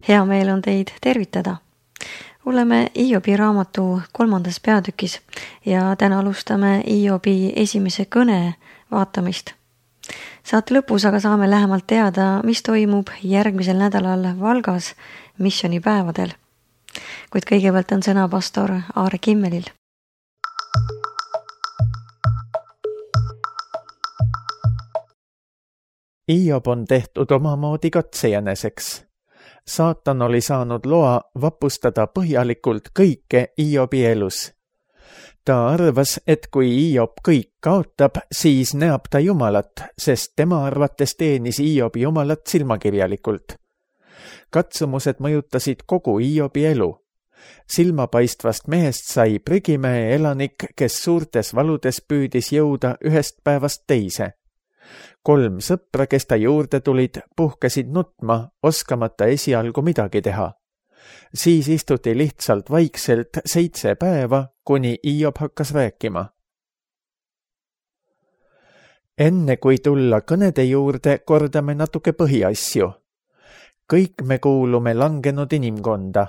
Hea meel on teid tervitada. Oleme Hiobi raamatu 3. peatükis ja täna alustame Hiobi esimese kõne vaatamist. Saate lõpus aga saame lähemalt teada, mis toimub järgmisel nädalal Valgas missioonipäevadel. Kuid kõigepealt on sõna pastor Aare Kimmelil. Hiob on tehtud omamoodi katsejäneseks. Saatan oli saanud loa vapustada põhjalikult kõike Hiobi elus. Ta arvas, et kui Hiob kõik kaotab, siis näeb ta Jumalat, sest tema arvates teenis Hiob Jumalat silmakirjalikult. Katsumused mõjutasid kogu Hiobi elu. Silmapaistvast mehest sai prügimäe elanik, kes suurtes valudes püüdis jõuda ühest päevast teise. 3 sõpra, kes ta juurde tulid, puhkesid nutma, oskamata esialgu midagi teha. Siis istuti lihtsalt vaikselt 7 päeva, kuni Hiob hakkas rääkima. Enne kui tulla kõnede juurde, kordame natuke põhiasju. Kõik me kuulume langenud inimkonda.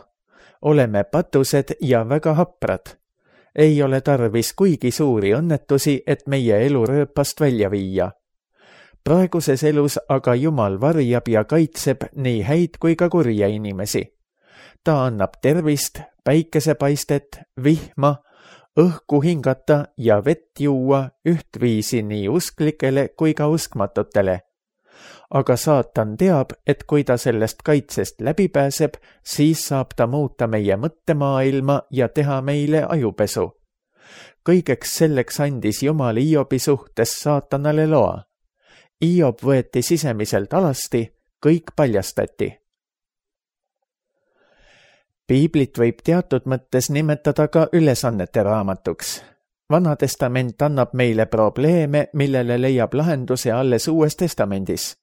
Oleme patused ja väga haprad. Ei ole tarvis kuigi suuri õnnetusi, et meie elu rööpast välja viia. Praeguses elus aga Jumal varjab ja kaitseb nii häid kui ka kurja inimesi. Ta annab tervist, päikesepaistet, vihma, õhku hingata ja vett juua ühtviisi nii usklikele kui ka uskmatutele. Aga saatan teab, et kui ta sellest kaitsest läbi pääseb, siis saab ta muuta meie mõttemaailma ja teha meile ajupesu. Kõigeks selleks andis Jumal Hiobi suhtes saatanale loa. Hiob võeti sisemiselt alasti, kõik paljastati. Piiblit võib teatud mõttes nimetada ka ülesannete raamatuks. Vana testament annab meile probleeme, millele leiab lahenduse alles Uues testamendis.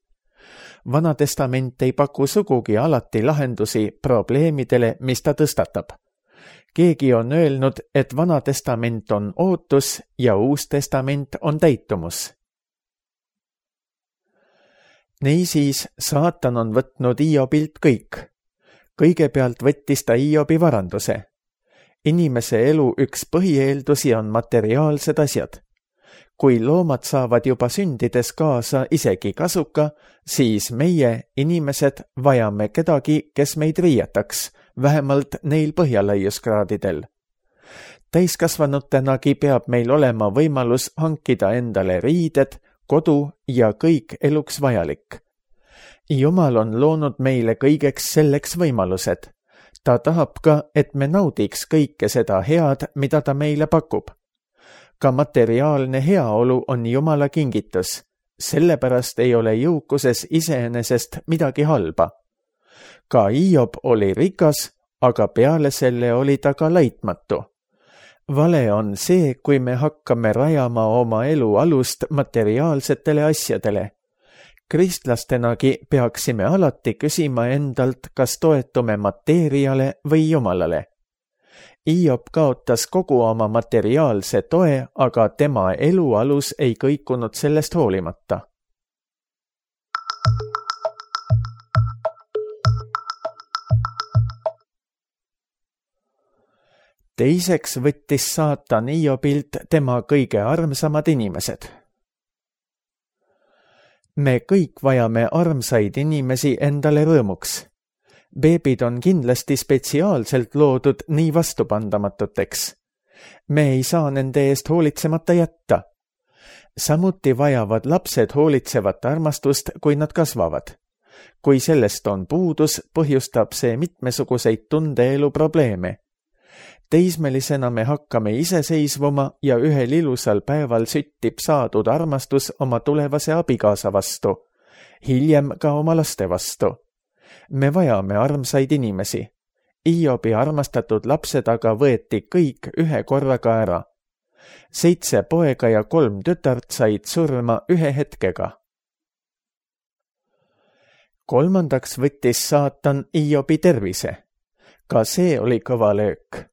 Vana testament ei paku sugugi alati lahendusi probleemidele, mis ta tõstatab. Keegi on öelnud, et Vana testament on ootus ja Uus testament on täitumus. Niisiis, saatan on võtnud Hiobilt kõik. Kõigepealt võttis ta Hiobi varanduse. Inimese elu üks põhieeldusi on materiaalsed asjad. Kui loomad saavad juba sündides kaasa isegi kasuka, siis meie, inimesed, vajame kedagi, kes meid riietaks, vähemalt neil põhjalaiuskraadidel. Täiskasvanutenagi peab meil olema võimalus hankida endale riided, kodu ja kõik eluks vajalik. Jumal on loonud meile kõigeks selleks võimalused. Ta tahab ka, et me naudiks kõike seda head, mida ta meile pakub. Ka materiaalne heaolu on Jumala kingitus. Sellepärast ei ole jõukuses iseenesest midagi halba. Ka Hiob oli rikas, aga peale selle oli ta ka laitmatu. Vale on see, kui me hakkame rajama oma elu alust materiaalsetele asjadele. Kristlastenagi peaksime alati küsima endalt, kas toetume mateeriale või Jumalale. Hiob kaotas kogu oma materiaalse toe, aga tema elu alus ei kõikunud sellest hoolimata. Teiseks võttis saatan Hiobilt tema kõige armsamad inimesed. Me kõik vajame armsaid inimesi endale rõõmuks. Beebid on kindlasti spetsiaalselt loodud nii vastupandamatuteks. Me ei saa nende eest hoolitsemata jätta. Samuti vajavad lapsed hoolitsevat armastust, kui nad kasvavad. Kui sellest on puudus, põhjustab see mitmesuguseid tundeelu probleeme. Teismelisena me hakkame iseseisvuma ja ühel ilusal päeval süttib saadud armastus oma tulevase abikaasa vastu, hiljem ka oma laste vastu. Me vajame armsaid inimesi. Hiobi armastatud lapsed aga võeti kõik ühe korraga ära. 7 poega ja 3 tütart said surma ühe hetkega. Kolmandaks võttis saatan Hiobi tervise. Ka see oli kõva löök.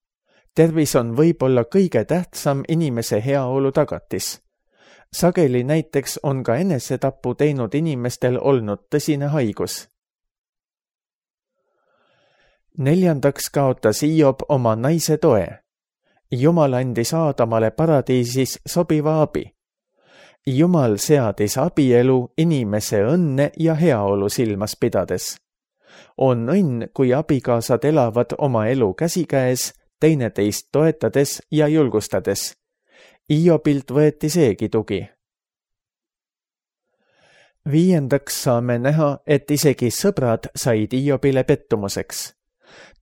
Tervis on võib-olla kõige tähtsam inimese heaolu tagatis. Sageli näiteks on ka enesetapu teinud inimestel olnud tõsine haigus. 4. kaotas Hiob oma naise toe. Jumal andis Aadamale paradiisis sobiva abi. Jumal seadis abielu inimese õnne ja heaolu silmas pidades. On õnn, kui abikaasad elavad oma elu käsikäes, teineteist toetades ja julgustades. Hiobilt võeti seegi tugi. 5. saame näha, et isegi sõbrad said Hiobile pettumuseks.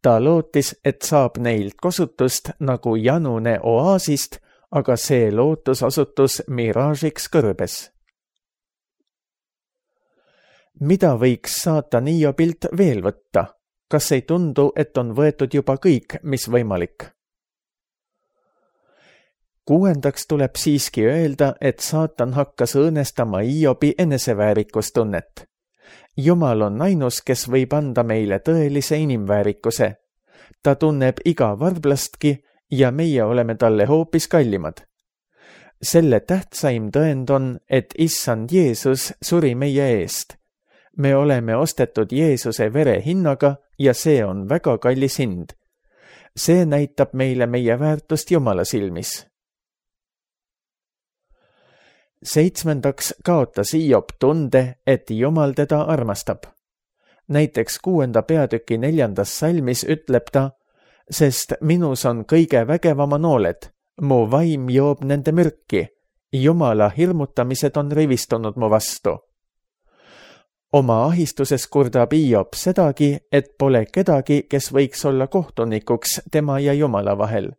Ta lootis, et saab neilt kosutust nagu janune oaasist, aga see lootus osutus miraažiks kõrbes. Mida võiks saatan Hiobilt veel võtta? Kas ei tundu, et on võetud juba kõik, mis võimalik? 6. tuleb siiski öelda, et saatan hakkas õõnestama Hiobi eneseväärikustunnet. Jumal on ainus, kes võib anda meile tõelise inimväärikuse. Ta tunneb iga varblastki ja meie oleme talle hoopis kallimad. Selle tähtsaim tõend on, et issand Jeesus suri meie eest. Me oleme ostetud Jeesuse vere hinnaga ja see on väga kallis hind. See näitab meile meie väärtust Jumala silmis. 7. kaotas Hiob tunde, et Jumal teda armastab. Näiteks 6. peatüki 4. salmis ütleb ta, sest minus on kõige vägevama nooled, mu vaim joob nende mürki, Jumala hirmutamised on rivistunud mu vastu. Oma ahistuses kurdab Hiob sedagi, et pole kedagi, kes võiks olla kohtunikuks tema ja Jumala vahel.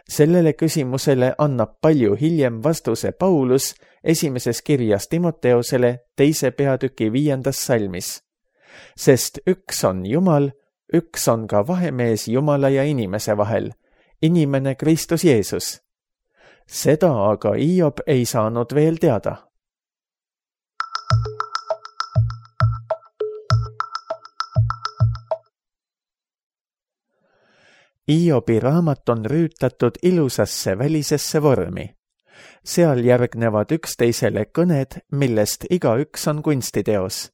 Sellele küsimusele annab palju hiljem vastuse Paulus esimeses kirjas Timoteosele 2. peatüki 5. salmis. Sest üks on Jumal, üks on ka vahemees Jumala ja inimese vahel, inimene Kristus Jeesus. Seda aga Hiob ei saanud veel teada. Hiobi raamat on rüütatud ilusasse välisesse vormi. Seal järgnevad üksteisele kõned, millest igaüks on kunstiteos.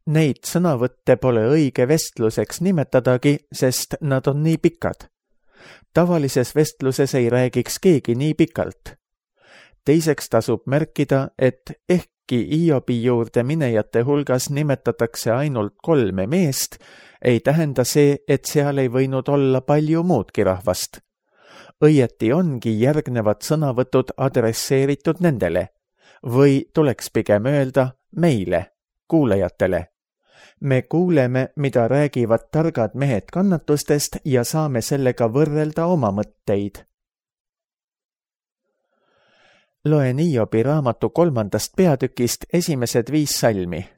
Neid sõnavõtte pole õige vestluseks nimetadagi, sest nad on nii pikad. Tavalises vestluses ei räägiks keegi nii pikalt. Teiseks tasub märkida, et ehkki Hiobi juurde minejate hulgas nimetatakse ainult 3 meest, ei tähenda see, et seal ei võinud olla palju muudki rahvast. Õieti ongi järgnevad sõnavõtud adresseeritud nendele, või tuleks pigem öelda meile, kuulajatele. Me kuuleme, mida räägivad targad mehed kannatustest ja saame sellega võrrelda oma mõtteid. Loen Hiobi raamatu 3. peatükist esimesed 5 salmi.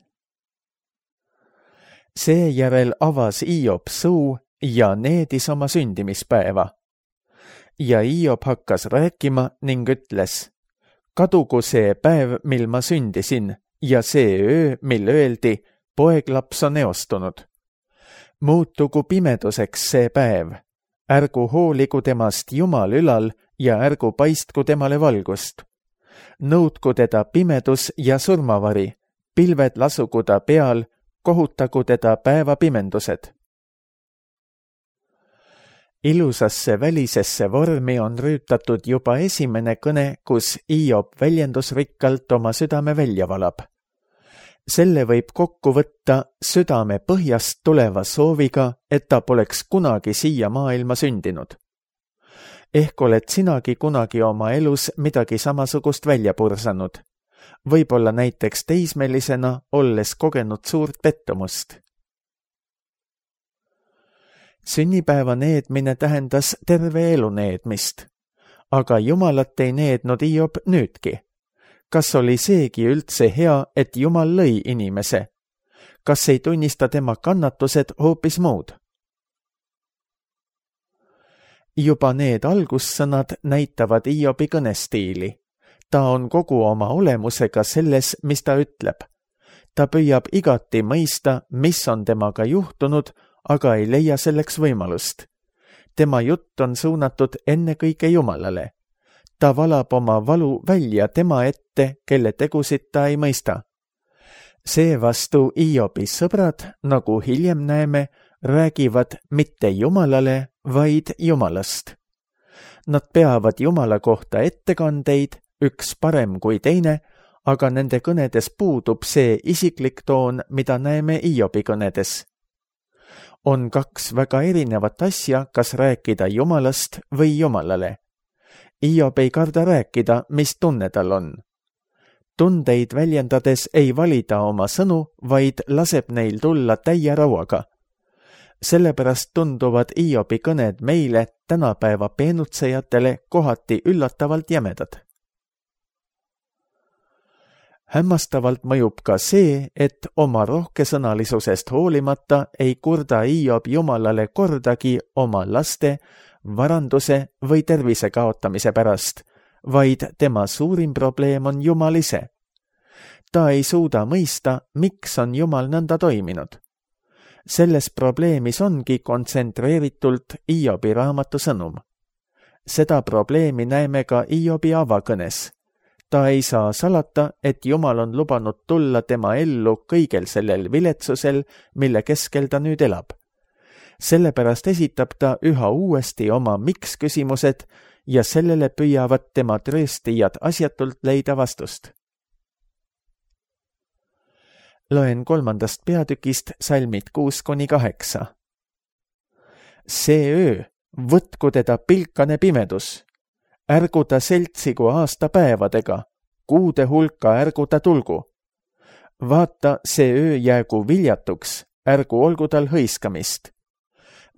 Seejärel avas Hiob suu ja needis oma sündimispäeva. Ja Hiob hakkas rääkima ning ütles, kadugu see päev, mil ma sündisin, ja see öö, mil öeldi, poeglaps on eostunud. Muutugu pimeduseks see päev, ärgu hooligu temast Jumal ülal ja ärgu paistku temale valgust. Nõudku teda pimedus ja surmavari, pilved lasugu ta peal, kohutagu teda päevapimendused. Ilusasse välisesse vormi on rüütatud juba esimene kõne, kus Hiob väljendusrikkalt oma südame välja valab. Selle võib kokku võtta südame põhjast tuleva sooviga, et ta poleks kunagi siia maailma sündinud. Ehk oled sinagi kunagi oma elus midagi samasugust välja pursanud. Võib-olla näiteks teismelisena, olles kogenud suurt pettumust. Sünnipäeva needmine tähendas terve elu needmist, aga Jumalat ei neednud Hiob nüüdki. Kas oli seegi üldse hea, et Jumal lõi inimese? Kas ei tunnista tema kannatused hoopis muud? Juba need algussõnad näitavad Hiobi kõnestiili. Ta on kogu oma olemusega selles, mis ta ütleb. Ta püüab igati mõista, mis on temaga juhtunud, aga ei leia selleks võimalust. Tema jutt on suunatud ennekõike Jumalale. Ta valab oma valu välja tema ette, kelle tegusid ta ei mõista. Seevastu Hiobi sõbrad, nagu hiljem näeme, räägivad mitte Jumalale, vaid Jumalast. Nad peavad Jumala kohta ettekandeid, üks parem kui teine, aga nende kõnedes puudub see isiklik toon, mida näeme Hiobi kõnedes. On kaks väga erinevat asja, kas rääkida Jumalast või Jumalale. Hiob ei karda rääkida, mis tunne tal on. Tundeid väljendades ei valida oma sõnu, vaid laseb neil tulla täie rauaga. Sellepärast tunduvad Hiobi kõned meile tänapäeva peenutsejatele kohati üllatavalt jämedad. Hämmastavalt mõjub ka see, et oma rohkesõnalisusest hoolimata ei kurda Hiob Jumalale kordagi oma laste, varanduse või tervise kaotamise pärast, vaid tema suurim probleem on Jumal ise. Ta ei suuda mõista, miks on Jumal nõnda toiminud. Selles probleemis ongi kontsentreeritult Hiobi raamatu sõnum. Seda probleemi näeme ka Hiobi avakõnes. Ta ei saa salata, et Jumal on lubanud tulla tema ellu kõigel sellel viletsusel, mille keskel ta nüüd elab. Sellepärast esitab ta üha uuesti oma miks-küsimused ja sellele püüavad tema trööstijad asjatult leida vastust. Loen 3. peatükist salmid 6-8. See öö, võtku teda pilkane pimedus. Ärgu ta seltsigu aastapäevadega, kuude hulka ärgu ta tulgu. Vaata, see öö jäägu viljatuks, ärgu olgu tal hõiskamist.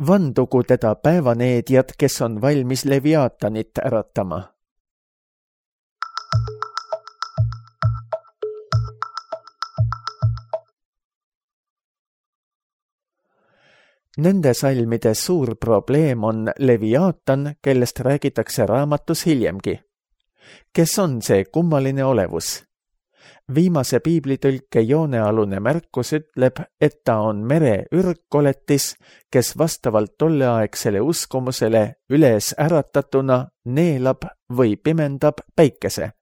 Vandugu teda päevaneedjad, kes on valmis Leviaatanit äratama. Nende salmide suur probleem on Leviaatan, kellest räägitakse raamatus hiljemgi. Kes on see kummaline olevus? Viimase piiblitõlke joonealune märkus ütleb, et ta on mere ürgkoletis, kes vastavalt tolleaegsele uskumusele üles äratatuna neelab või pimendab päikese.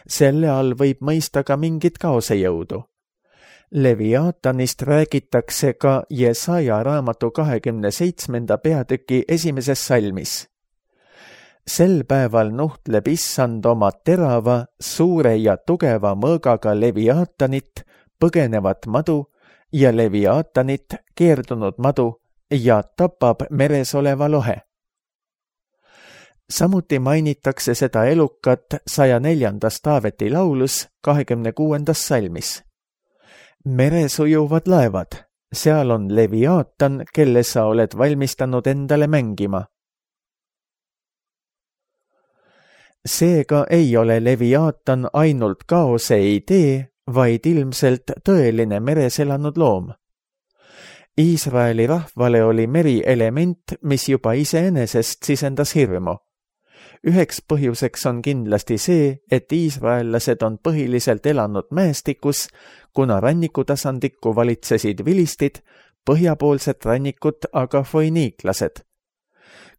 Selle all võib mõista ka mingit kaosejõudu. Leviaatanist räägitakse ka Jesaja raamatu 27. peatüki 1. salmis. Sel päeval nuhtleb Issand oma terava, suure ja tugeva mõõgaga Leviaatanit, põgenevat madu ja Leviaatanit, keerdunud madu ja tapab meres oleva lohe. Samuti mainitakse seda elukat 104. Taaveti laulus 26. salmis. Meres ujuvad laevad, seal on Leviaatan, kelle sa oled valmistanud endale mängima. Seega ei ole Leviaatan ainult kaose idee, vaid ilmselt tõeline meres elanud loom. Iisraeli rahvale oli meri element, mis juba iseenesest sisendas hirmu. Üheks põhjuseks on kindlasti see, et iisraellased on põhiliselt elanud mäestikus, kuna rannikutasandikku valitsesid vilistid, põhjapoolset rannikut aga foiniiklased.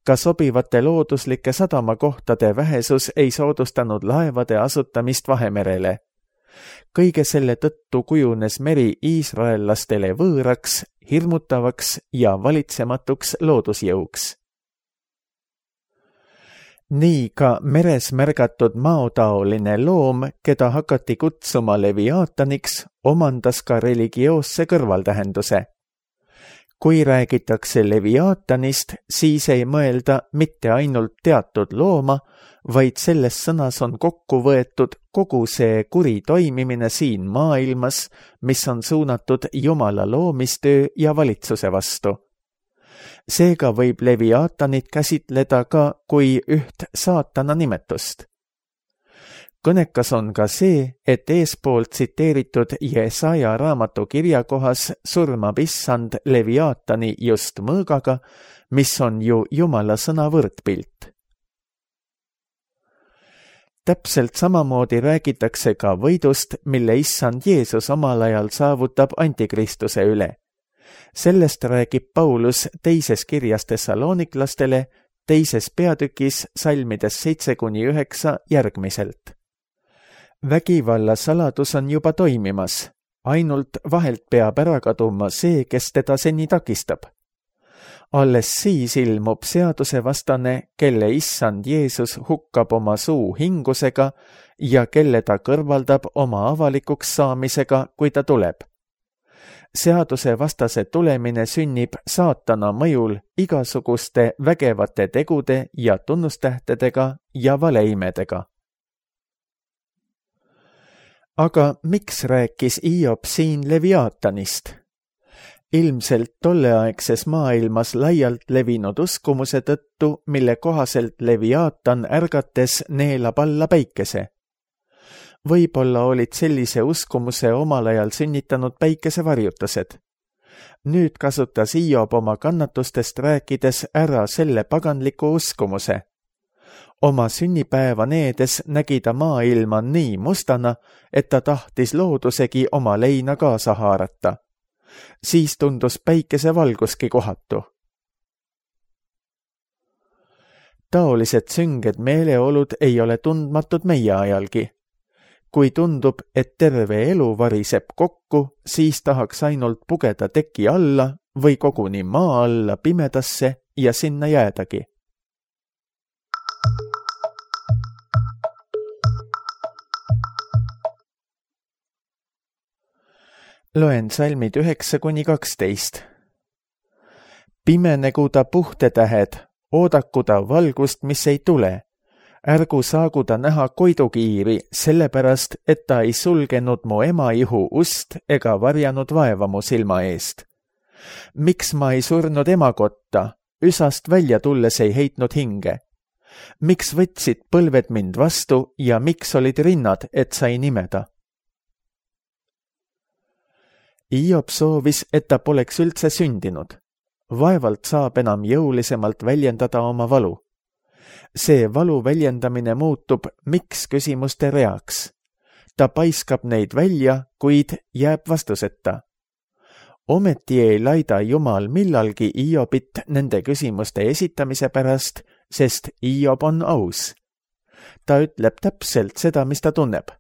Ka sobivate looduslike sadamakohtade vähesus ei soodustanud laevade asutamist Vahemerele. Kõige selle tõttu kujunes meri iisraellastele võõraks, hirmutavaks ja valitsematuks loodusjõuks. Nii ka meres märgatud maotaoline loom, keda hakati kutsuma Leviaataniks, omandas ka religioosse kõrvaltähenduse. Kui räägitakse Leviaatanist, siis ei mõelda mitte ainult teatud looma, vaid selles sõnas on kokku võetud kogu see kuri toimimine siin maailmas, mis on suunatud Jumala loomistöö ja valitsuse vastu. Seega võib Leviaatanit käsitleda ka kui üht saatana nimetust. Kõnekas on ka see, et eespoolt tsiteeritud Jesaja raamatu kirjakohas surmab Issand Leviaatani just mõõgaga, mis on ju Jumala sõna võrdpilt. Täpselt samamoodi räägitakse ka võidust, mille Issand Jeesus omal ajal saavutab antikristuse üle. Sellest räägib Paulus teises kirjas Thessaloniklastele, 2. peatükis salmides 7-9 järgmiselt. Vägivalla saladus on juba toimimas. ainult vahelt peab ära kaduma see, kes teda seni takistab. Alles siis ilmub seadusevastane, kelle issand Jeesus hukkab oma suu hingusega ja kelle ta kõrvaldab oma avalikuks saamisega, kui ta tuleb. Seadusevastase tulemine sünnib saatana mõjul igasuguste vägevate tegude ja tunnustähtedega ja valeimedega. Aga miks rääkis Hiob siin Leviaatanist? Ilmselt tolleaegses maailmas laialt levinud uskumuse tõttu, mille kohaselt Leviaatan ärgates neelab alla päikese. Võib-olla olid sellise uskumuse omal ajal sünnitanud päikesevarjutused. Nüüd kasutas Hiob oma kannatustest rääkides ära selle paganliku uskumuse. Oma sünnipäeva needes nägi ta maailma nii mustana, et ta tahtis loodusegi oma leina kaasa haarata. Siis tundus päikesevalguski kohatu. Taolised sünged meeleolud ei ole tundmatud meie ajalgi. Kui tundub, et terve elu variseb kokku, siis tahaks ainult pugeda teki alla või koguni maa alla pimedasse ja sinna jäädagi. Loen salmid 9-12. Pimenegu ta puhtetähed, oodaku ta valgust, mis ei tule. Ärgu saagu ta näha koidukiiri, sellepärast, et ta ei sulgenud mu emaihu ust ega varjanud vaeva mu silma eest. Miks ma ei surnud emakotta, üsast välja tulles ei heitnud hinge? Miks võtsid põlved mind vastu ja miks olid rinnad, et sai nimeda? Hiob soovis, et ta poleks üldse sündinud. Vaevalt saab enam jõulisemalt väljendada oma valu. See valu väljendamine muutub miks küsimuste reaks. Ta paiskab neid välja, kuid jääb vastuseta. Ometi ei laida Jumal millalgi Hiobit nende küsimuste esitamise pärast, sest Hiob on aus. Ta ütleb täpselt seda, mis ta tunneb.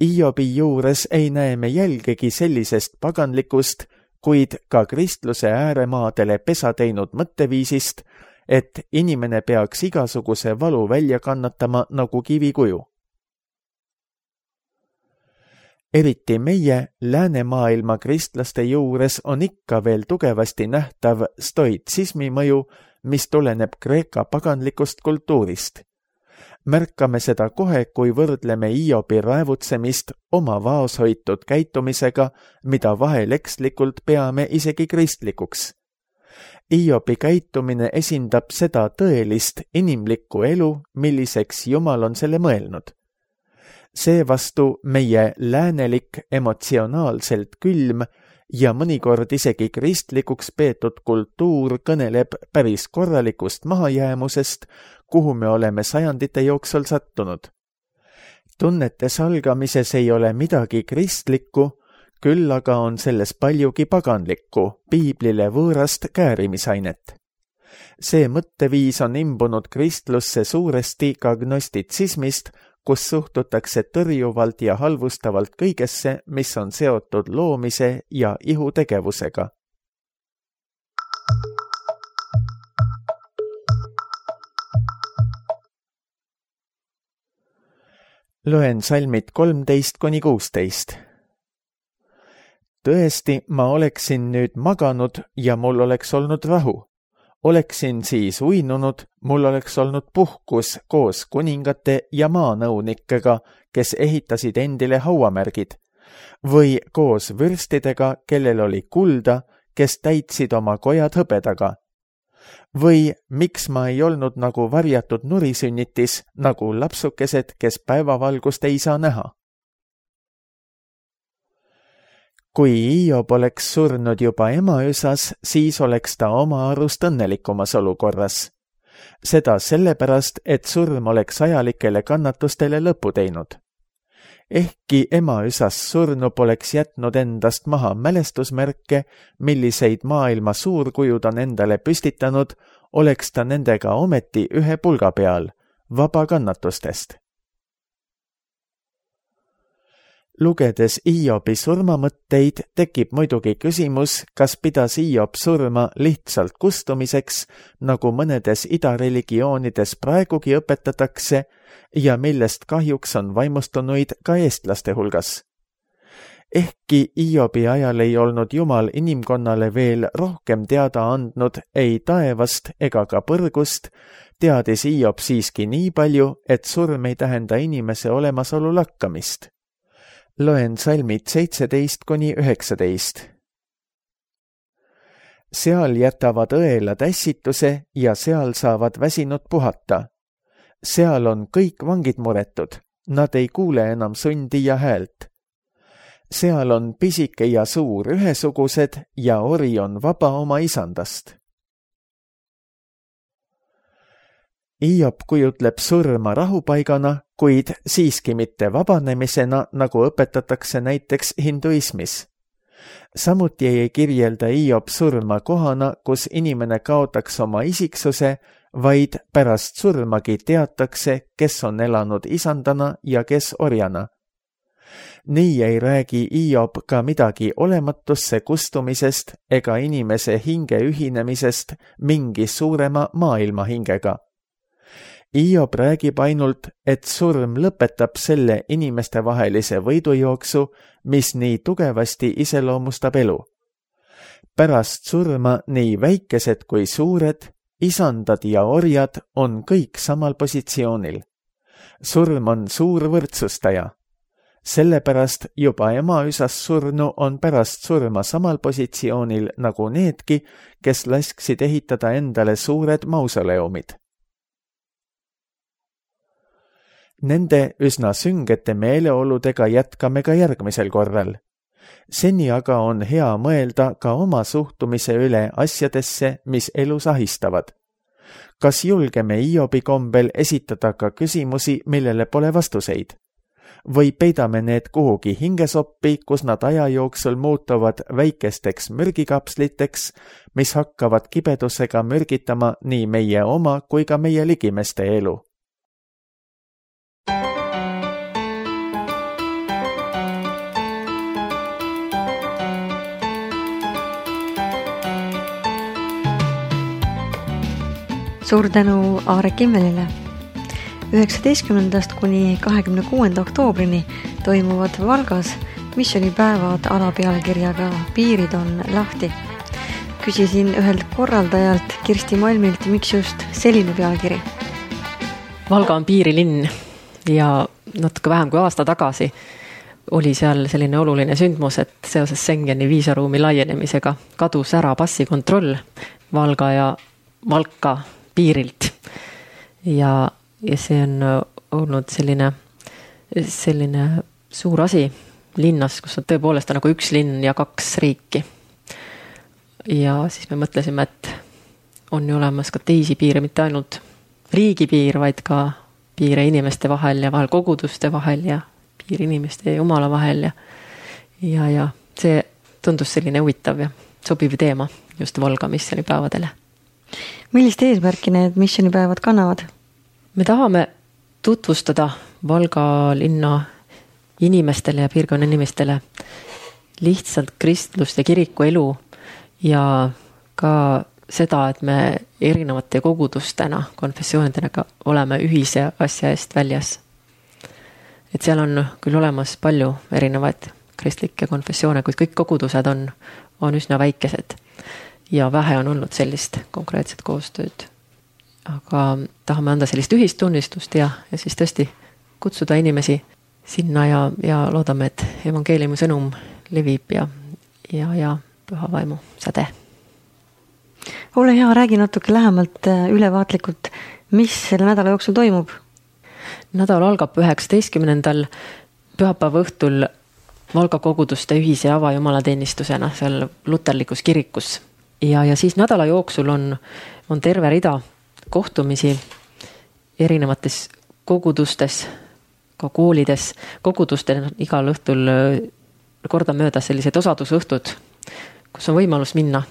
Hiobi juures ei näe me jälgegi sellisest paganlikust, kuid ka kristluse ääremaadele pesa teinud mõtteviisist, et inimene peaks igasuguse valu välja kannatama nagu kivikuju. Eriti meie läänemaailma kristlaste juures on ikka veel tugevasti nähtav stoitsismi mõju, mis tuleneb Kreeka paganlikust kultuurist. Märkame seda kohe, kui võrdleme Hiobi raevutsemist oma vaoshoitud käitumisega, mida vahel ekslikult peame isegi kristlikuks. Hiobi käitumine esindab seda tõelist inimlikku elu, milliseks Jumal on selle mõelnud. Seevastu meie läänelik, emotsionaalselt külm ja mõnikord isegi kristlikuks peetud kultuur kõneleb päris korralikust mahajäämusest, kuhu me oleme sajandite jooksul sattunud. Tunnete salgamises ei ole midagi kristlikku, küll aga on selles paljugi paganlikku, piiblile võõrast käärimisainet. See mõtteviis on imbunud kristlusse suuresti ka gnostitsismist, kus suhtutakse tõrjuvalt ja halvustavalt kõigesse, mis on seotud loomise ja ihutegevusega. Loen salmid 13-16. Tõesti, ma oleksin nüüd maganud ja mul oleks olnud rahu. Oleksin siis uinunud, mul oleks olnud puhkus koos kuningate ja maanõunikega, kes ehitasid endile hauamärgid, või koos vürstidega, kellel oli kulda, kes täitsid oma kojad hõbedaga. Või miks ma ei olnud nagu varjatud nurisünnitis, nagu lapsukesed, kes päevavalgust ei saa näha? Kui Hiob oleks surnud juba emaüsas, siis oleks ta oma arust õnnelikumas olukorras. Seda sellepärast, et surm oleks ajalikele kannatustele lõpu teinud. Ehkki emaüsas surnu poleks jätnud endast maha mälestusmärke, milliseid maailma suurkujud on endale püstitanud, oleks ta nendega ometi ühe pulga peal, vaba kannatustest. Lugedes Hiobi surmamõtteid tekib muidugi küsimus, kas pidas Hiob surma lihtsalt kustumiseks, nagu mõnedes idareligioonides praegugi õpetatakse ja millest kahjuks on vaimustunuid ka eestlaste hulgas. Ehkki Hiobi ajal ei olnud Jumal inimkonnale veel rohkem teada andnud ei taevast ega ka põrgust, teadis Hiob siiski nii palju, et surm ei tähenda inimese olemasolu lakkamist. Loen salmid 17-19. Seal jätavad õelad ässituse ja seal saavad väsinud puhata. Seal on kõik vangid muretud, nad ei kuule enam sundi ja häält. Seal on pisike ja suur ühesugused ja ori on vaba oma isandast. Hiob kujutleb surma rahupaigana, kuid siiski mitte vabanemisena, nagu õpetatakse näiteks hinduismis. Samuti ei kirjelda Hiob surma kohana, kus inimene kaotaks oma isiksuse, vaid pärast surmagi teatakse, kes on elanud isandana ja kes orjana. Nii ei räägi Hiob ka midagi olematusse kustumisest ega inimese hinge ühinemisest mingi suurema maailma hingega. Hiob räägib ainult, et surm lõpetab selle inimestevahelise võidujooksu, mis nii tugevasti iseloomustab elu. Pärast surma nii väikesed kui suured, isandad ja orjad on kõik samal positsioonil. Surm on suur võrdsustaja. Sellepärast juba emaüsas surnu on pärast surma samal positsioonil nagu needki, kes lasksid ehitada endale suured mausoleumid. Nende üsna süngete meeleoludega jätkame ka järgmisel korral. Seni aga on hea mõelda ka oma suhtumise üle asjadesse, mis elus ahistavad. Kas julgeme Hiobi kombel esitada ka küsimusi, millele pole vastuseid? Või peidame need kuhugi hingesoppi, kus nad aja jooksul muutuvad väikesteks mürgikapsliteks, mis hakkavad kibedusega mürgitama nii meie oma kui ka meie ligimeste elu? Suur tänu Aare Kimmelile. 19. kuni 26. oktoobrini toimuvad Valgas missioonipäevad alapealkirjaga Piirid on lahti. Küsisin ühelt korraldajalt Kirsti Malmilt, miks just selline pealkiri. Valga on piirilinn ja natuke vähem kui aasta tagasi oli seal selline oluline sündmus, et seoses Schengeni viisaruumi laienemisega kadus ära passikontroll Valga ja Valka piirilt. Ja see on olnud selline suur asi linnas, kus on tõepoolest nagu üks linn ja kaks riiki. Ja siis me mõtlesime, et on ju olemas ka teisi piire, mitte ainult riigipiir, vaid ka piire inimeste vahel ja vahel koguduste vahel ja piir inimeste ja Jumala vahel. Ja see tundus selline huvitav ja sobiv teema just Valga missioonipäevadele. Millist eesmärki need missioonipäevad kannavad? Me tahame tutvustada Valga linna inimestele ja piirkonna inimestele lihtsalt kristlust ja kiriku elu ja ka seda, et me erinevate kogudustena, konfessioonidega oleme ühise asja eest väljas. Et seal on küll olemas palju erinevaid kristlikke konfessioone, kuid kõik kogudused on üsna väikesed ja vähe on olnud sellist konkreetset koostööd. Aga tahame anda sellist ühistunnistust ja siis tõesti kutsuda inimesi sinna ja loodame, et evangeeliumi sõnum levib ja püha vaimu säde. Ole hea, räägi natuke lähemalt ülevaatlikult, mis selle nädala jooksul toimub? Nädal algab 19. pühapäeva õhtul Valga koguduste ühise avajumalateenistusena seal luterlikus kirikus. Ja siis nädala jooksul on terve rida kohtumisi erinevates kogudustes, ka koolides. Kogudustel igal õhtul kordamööda sellised osadusõhtud, kus on võimalus minna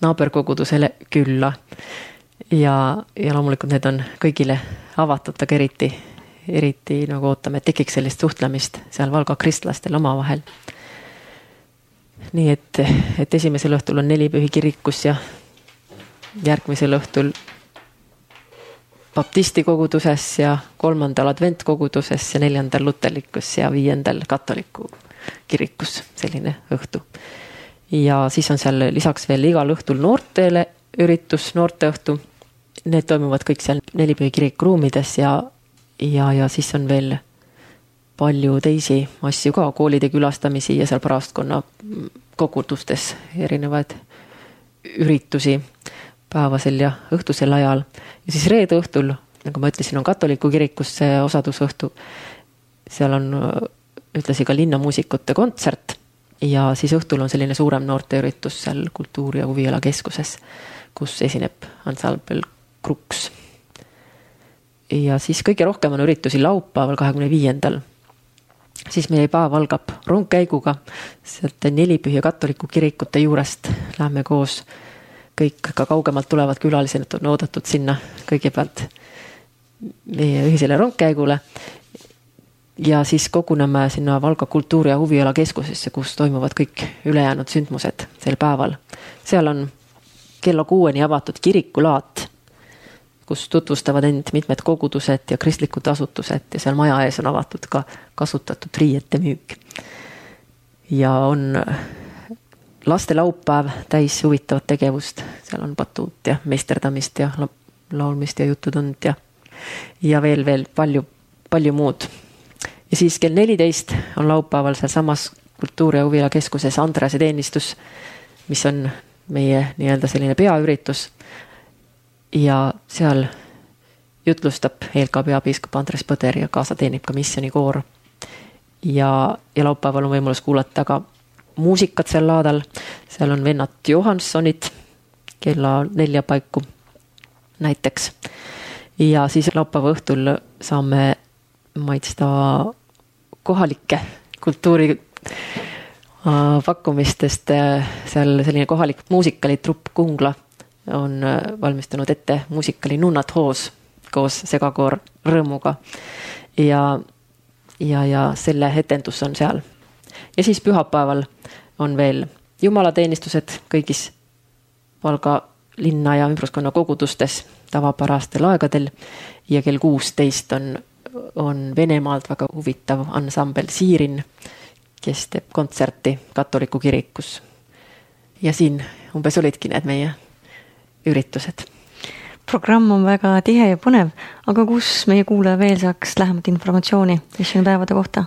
naaberkogudusele külla. Ja loomulikult need on kõigile avatud, aga eriti nagu ootame, et tekiks sellist suhtlemist seal Valga kristlastel oma vahel. Nii et esimesel õhtul on Nelipühi kirikus ja järgmisel õhtul baptisti koguduses ja 3. adventkoguduses ja 4. luterlikus ja 5. katoliku kirikus selline õhtu. Ja siis on seal lisaks veel igal õhtul noortele üritus, noorteõhtu. Need toimuvad kõik seal Nelipühi kirikuruumides ja siis on veel palju teisi asju ka, koolide külastamisi ja seal parastkonna kogudustes erinevaid üritusi päevasel ja õhtusel ajal. Ja siis reede õhtul, nagu ma ütlesin, on katoliku kirikus see osadusõhtu. Seal on ütlesi ka linnamuusikute kontsert ja siis õhtul on selline suurem noorteüritus seal kultuuri- ja huviala keskuses, kus esineb ansambel Kruks. Ja siis kõige rohkem on üritusi laupäeval 25. Siis meie päev algab rongkäiguga, sealt Nelipühi katoliku kirikute juurest lähme koos, kõik ka kaugemalt tulevad külalised on oodatud sinna kõigepealt meie ühisele rongkäigule ja siis koguneme sinna Valga kultuuri- ja huviala keskusesse, kus toimuvad kõik ülejäänud sündmused sel päeval. Seal on kella 6 avatud kirikulaat, kus tutvustavad end mitmed kogudused ja kristlikud asutused ja seal maja ees on avatud ka kasutatud riiete müük. Ja on laste laupäev täis huvitavat tegevust, seal on patuut ja meisterdamist ja laulmist ja jututund ja veel palju muud. Ja siis kell 14 on laupäeval seal samas kultuuri- ja huviala keskuses Andrease teenistus, mis on meie nii-öelda selline peaüritus ja seal jutlustab ELK peapiiskop Andres Põder ja kaasa teenib ka missionikoor ja laupäeval on võimalus kuulata ka muusikat seal laadal, seal on vennad Johanssonid kella 4 paiku näiteks ja siis laupäeva õhtul saame maitsta kohalikke kultuuri pakkumistest, seal selline kohalik muusikalitrupp Kungla on valmistanud ette muusikali Nunnat Hoos koos segakoor Rõõmuga ja selle etendus on seal. Ja siis pühapäeval on veel jumalateenistused kõigis Valga linna ja ümbruskonna kogudustes tavapärastel aegadel ja kell 16 on Venemaalt väga huvitav ansambel Siirin, kes teeb kontserti katoliku kirikus. Ja siin umbes olidki need meie üritused. Programm on väga tihe ja põnev, aga kus meie kuulaja veel saaks lähemat informatsiooni missioonipäevade kohta?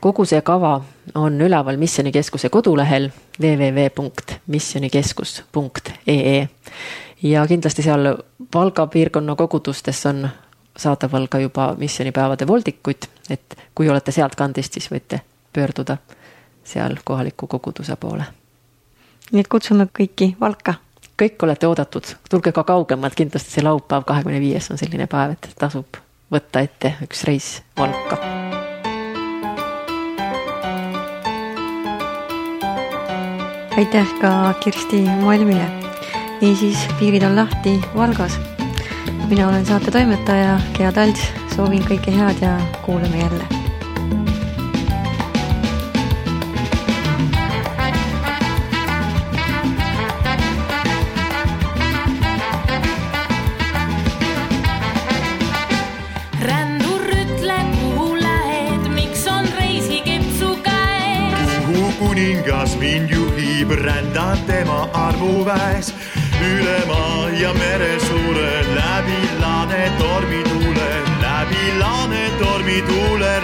Kogu see kava on üleval Missionikeskuse kodulehel www.missionikeskus.ee ja kindlasti seal Valga piirkonna kogudustes on saadaval ka juba missioonipäevade voldikuid, et kui olete sealt kandist, siis võite pöörduda seal kohaliku koguduse poole. Nii et kutsume kõiki Valka. Kõik olete oodatud, tulge ka kaugemalt, kindlasti see laupäev 25. on selline päev, et tasub võtta ette üks reis Valka. Aitäh ka Kirsti Malmile. Niisiis, piirid on lahti Valgas. Mina olen saate toimetaja Gea Talts, soovin kõike head ja kuuleme jälle. Rändur ütle, kuhu lähed, miks on reisikepsu käes? Kuhu kuningas mind juhib, rändan tema armuväes. Üle maa ja mere suure, läbi laane tormituule,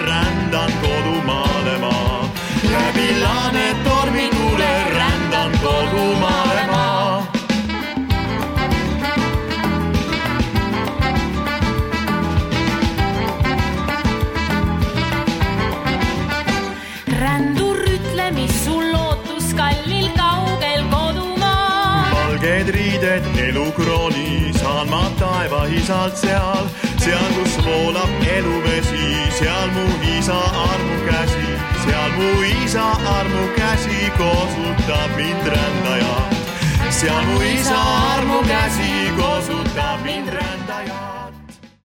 rändan kodumaale maa. Läbi laane tormituule, rändan kodumaale maa. Rändur ütle, mis sul lootus kallil kaugel kodumaa. Valged riided elukrooni, saan ma taeva isalt seal, kus voolab eluvesi, seal mu isa armu käsi koosutab mind rändaja. Seal mu isa armu käsi koosutab mind rändaja.